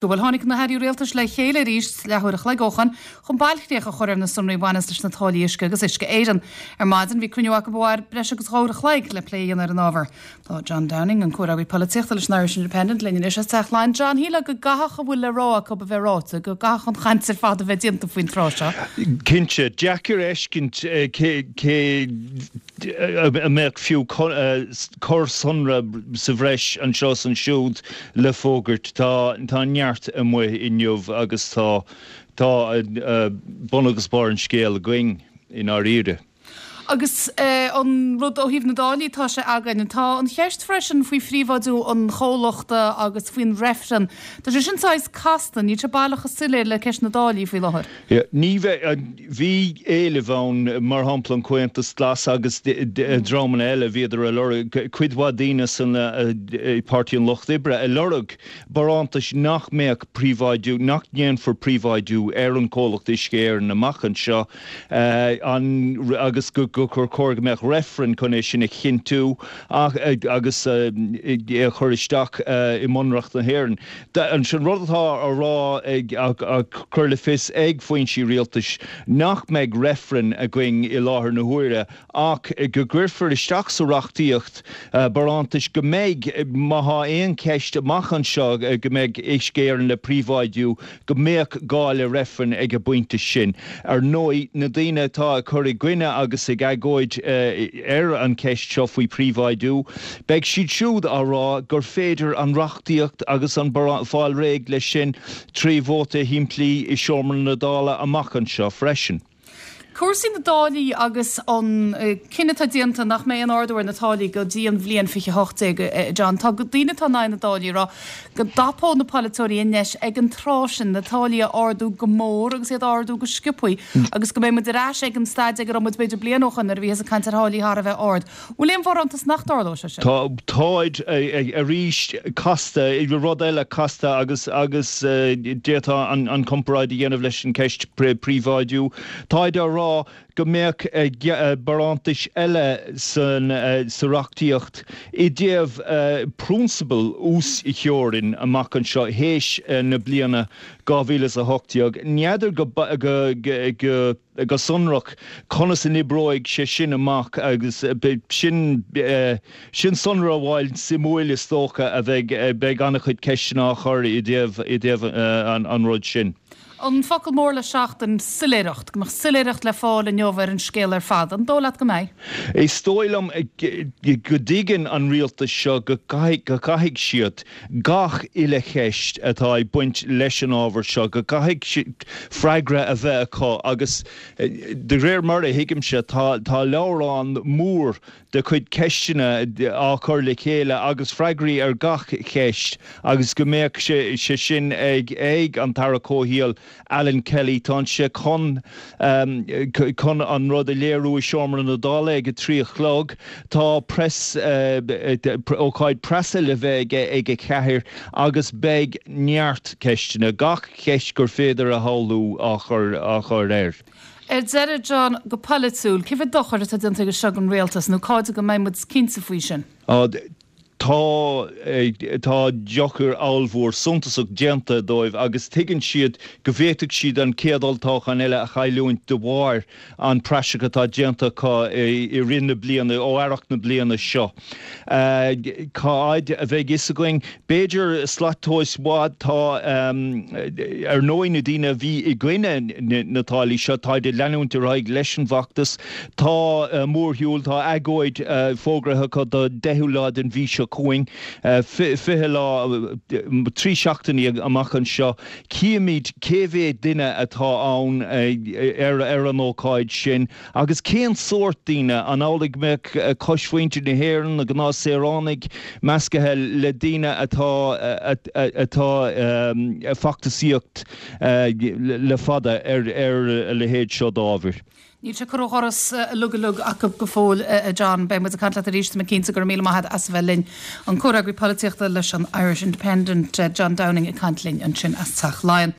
Bhuel, tháinig na hairí rialtais le chéile arís leathuair a chloig ó shoin chun bailchríoch a chur ar na sonraí a bhaineas leis na táillí uisce agus Uisce Éireann. Ar maidin bhí cruinniú acu a mhair breis agus uair a chloig le plé a dhéanamh ar an ábhar. Tá John Downing, an comhfhreagraí polaitíochta leis an Irish Independent, linn anois as Teach Laighean. John, shílfeá go gcaithfeadh a bhfuil le rá acu a bheith ráite, go gcaithfeadh an chaint ar fad a bheith déanta faoin tráth seo. Cinnte. Deacair a fheiscint cé a mbeadh fiú corr-sonra sa bhreis anseo is ansiúd le fógairt. Tá neart amuigh inniu agus tá tá bun agus barr an scéil againn i ndáiríre. Agus an rud ó thaobh na dtáillí, tá sé againn. Tá an cheist freisin faoi phríobháidiú an chomhlachta agus faoin reifreann. Tá sé sin saghas casta, níl sé baileach chomh soiléir le ceist na dtáillí faoi láthair. Ní bheidh. Bhí éilimh ann, mar shampla an Comhaontas Glas agus dreamanna eile, bhíodar ag lorg, cuid mhaith daoine san Páirtí an Lucht Oibre ag lorg barántais nach mbeadh príobháidiú, nach ndéanfar príobháidiú ar an chomhlacht Uisce Éireann amach anseo agus gur chóir go mbeadh reifreann chun é sin a chinntiú agus é a chur isteach i mBunreacht na hÉireann. An rud atá á rá ag, á chur le fios ag foinsí rialtais nach mbeidh reifreann againn i láthair na huaire ach go gcuirfear isteach sa reachtaíocht barántais go mbeidh, má thá aon cheist amach anseo go mbeidh Uisce Éireann le príobháidiú, go mbeadh gá le reifreann ag an bpointe sin. Ar ndóigh, na daoine atá ag cur i gcoinne agus ag agóid ar an cheist seo faoi phríobháidiú, beidh siad siúd á rá gur féidir an reachtaíocht agus an fáil réidh leis sin trí vóta shimplí i seomra na Dála amach anseo freisin. Cúrsaí na dtáillí agus an cinneadh atá déanta nach mbeidh aon ardú ar na táillí go dtí an bhliain 2018, a John. Tá daoine atá in aghaidh na dtáillí ag rá go dtapódh na polaiteoirí an deis ag an tráth sin na táillí a ardú go mór agus iad a ardú go sciobthaí agus go mbeidh muid ar ais ag an staid ag a raibh muid b'fhéidir bliain ó shoin nuair a bhíothas ag caint ar tháillí thar a bheith ard. Bhfuil aon bharántas nach dtarlóidh sé sin? Tá, táid arís casta, rud eile casta agus agus d'fhéadfá an comparáid a dhéanamh leis an ceist príobháidiú. Táid á rá go mbeadh barántais eile san sa reachtaíocht i dtaobh prionsabal uastheorainn amach anseo théis na bliana 2018. N'fheadar go go go sonrach conas a n-oibreoidh sé sin amach agus sin sin sonra amháin suimiúil is dócha a bheidh beidh an-chuid ceisteanna á chur i dtaobh i dtaobh an rud sin. An focal mór le seachtain, soiléireacht. Go mbeadh soiléireacht le fáil inniu ar an scéal ar fad. An dóigh leat go mbeidh? Is dóigh liom go dtuigeann an rialtas seo go gcaithfidh go gcaithfidh siad gach uile cheist atá ag baint leis an ábhar seo, go gcaithfidh freagra a bheith acu agus de réir mar a thuigimse tá tá leabhrán mór de chuid ceisteanna á chur le chéile agus freagraí ar gach ceist agus go mbeadh sé sin ag ag an tAire Comhshaoil Alan Kelly, Tá sé chun chun an rud a léiriú i Seomra na Dála ag a 3 a chlog. Tá press ócáid preasa le bheith aige ag a 4 agus beidh neart ceisteanna, gach ceist gur féidir a shamhlú á chur á chur air. Ar deireadh, John, go polaitiúil, cé mhéad dochar atá déanta aige seo don rialtas nó cá fhad go mbeidh muid cinnte faoi sin? Tá, tá dochar ollmhór suntasach déanta dóibh agus tuigeann siad go bhféadfadh siad an chéad olltoghchán eile a chailliúint de bharr an praiseach atá déanta acu i rith na bliana, ó earrach na bliana seo. Cá fhad a bheidh fhios againn? B'fhéidir slat tomhais mhaith. Tá, ar ndóigh, na daoine a bhí i gcoinne na táillí seo, táid ag leanúint ar aghaidh leis an bhfeachtas. Tá mórshiúl, tá agóid fógraithe acu don 10ú lá den mhí seo chugainn, 20 lá, 3 seachtainí amach anseo. Cífimid cé mhéad duine atá ann ar an ócáid sin agus cén sórt daoine, an amhlaidh go mbeadh coismhuintir na hÉireann, na gnáthshaoránaigh, meascaithe le daoine atá atá ag feachtasaíocht le fada ar a leithéid seo d'ábhair. Níl sé curtha ó dhoras uilig uilig acu go fóill, a John. Beidh muid ag caint leat arís, tá mé cinnte. Go raibh míle maith agat as a bheith linn. An comhfhreagraí polaitíochta leis an Irish Independent, John Downing ag caint linn ansin as Teach Laighean.